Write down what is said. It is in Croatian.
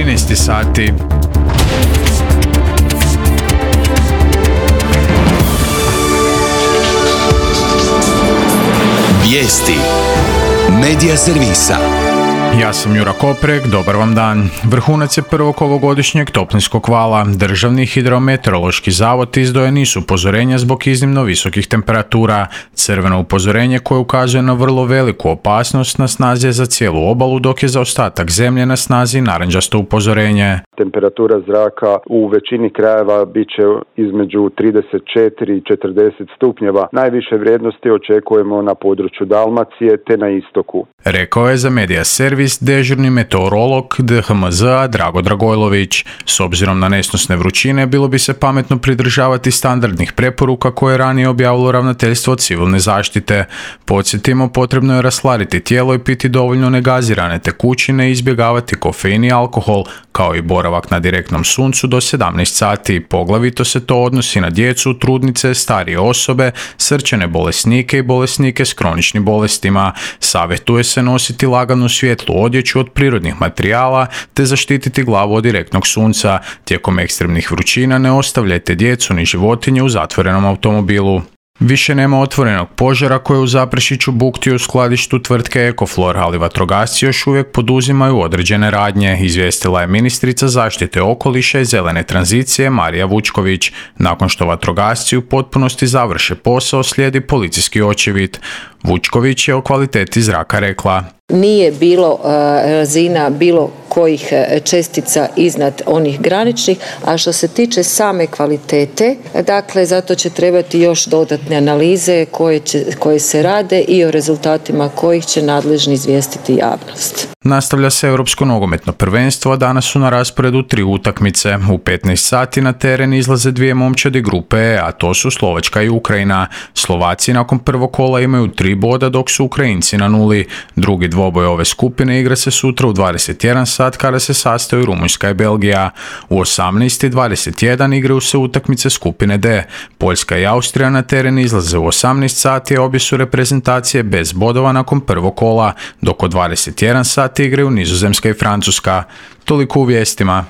13 sati. Vijesti Medija servisa. Ja sam Jura Koprek, dobar vam dan. Vrhunac je prvog ovogodišnjeg toplinskog vala. Državni hidrometeorološki zavod izdao je niz upozorenja zbog iznimno visokih temperatura. Crveno upozorenje koje ukazuje na vrlo veliku opasnost na snazi je za cijelu obalu, dok je za ostatak zemlje na snazi narančasto upozorenje. Temperatura zraka u većini krajeva bit će između 34 i 40 stupnjeva. Najviše vrijednosti očekujemo na području Dalmacije te na istoku. Rekao je za Medija servis dežurni meteorolog DHMZ-a Drago Dragojlović. S obzirom na nesnosne vrućine, bilo bi se pametno pridržavati standardnih preporuka koje je ranije objavilo Ravnateljstvo civilne zaštite. Podsjetimo, potrebno je rasladiti tijelo i piti dovoljno negazirane tekućine i izbjegavati kofein i alkohol, kao i boravak na direktnom suncu do 17 sati. Poglavito se to odnosi na djecu, trudnice, starije osobe, srčane bolesnike i bolesnike s kroničnim bolestima. Savjetuje se nositi laganu svjetlu odjeću od prirodnih materijala te zaštititi glavu od direktnog sunca. Tijekom ekstremnih vrućina ne ostavljajte djecu ni životinje u zatvorenom automobilu. Više nema otvorenog požara koje u Zaprešiću bukti u skladištu tvrtke Ekoflor, ali vatrogasci još uvijek poduzimaju određene radnje, izvijestila je ministrica zaštite okoliša i zelene tranzicije Marija Vučković. Nakon što vatrogasci u potpunosti završe posao, slijedi policijski očevid. Vučković je o kvaliteti zraka rekla: Nije bilo razina bilo kojih čestica iznad onih graničnih, a što se tiče same kvalitete, dakle, zato će trebati još dodatne analize koje se rade i o rezultatima kojih će nadležni izvijestiti javnost. Nastavlja se Europsko nogometno prvenstvo, a danas su na rasporedu 3 utakmice. U 15 sati na teren izlaze dvije momčadi grupe E, a to su Slovačka i Ukrajina. Slovaci nakon prvog kola imaju 3 boda, dok su Ukrajinci na 0. Drugi dvoboj ove skupine igra se sutra u 21 sat kada se sastaju Rumunjska i Belgija. U 18:21 igraju se utakmice skupine D. Poljska i Austrija na teren izlaze u 18 sati, a obje su reprezentacije bez bodova nakon prvog kola, dok od 21 sati igraju Nizozemska i Francuska. Toliko u vijestima.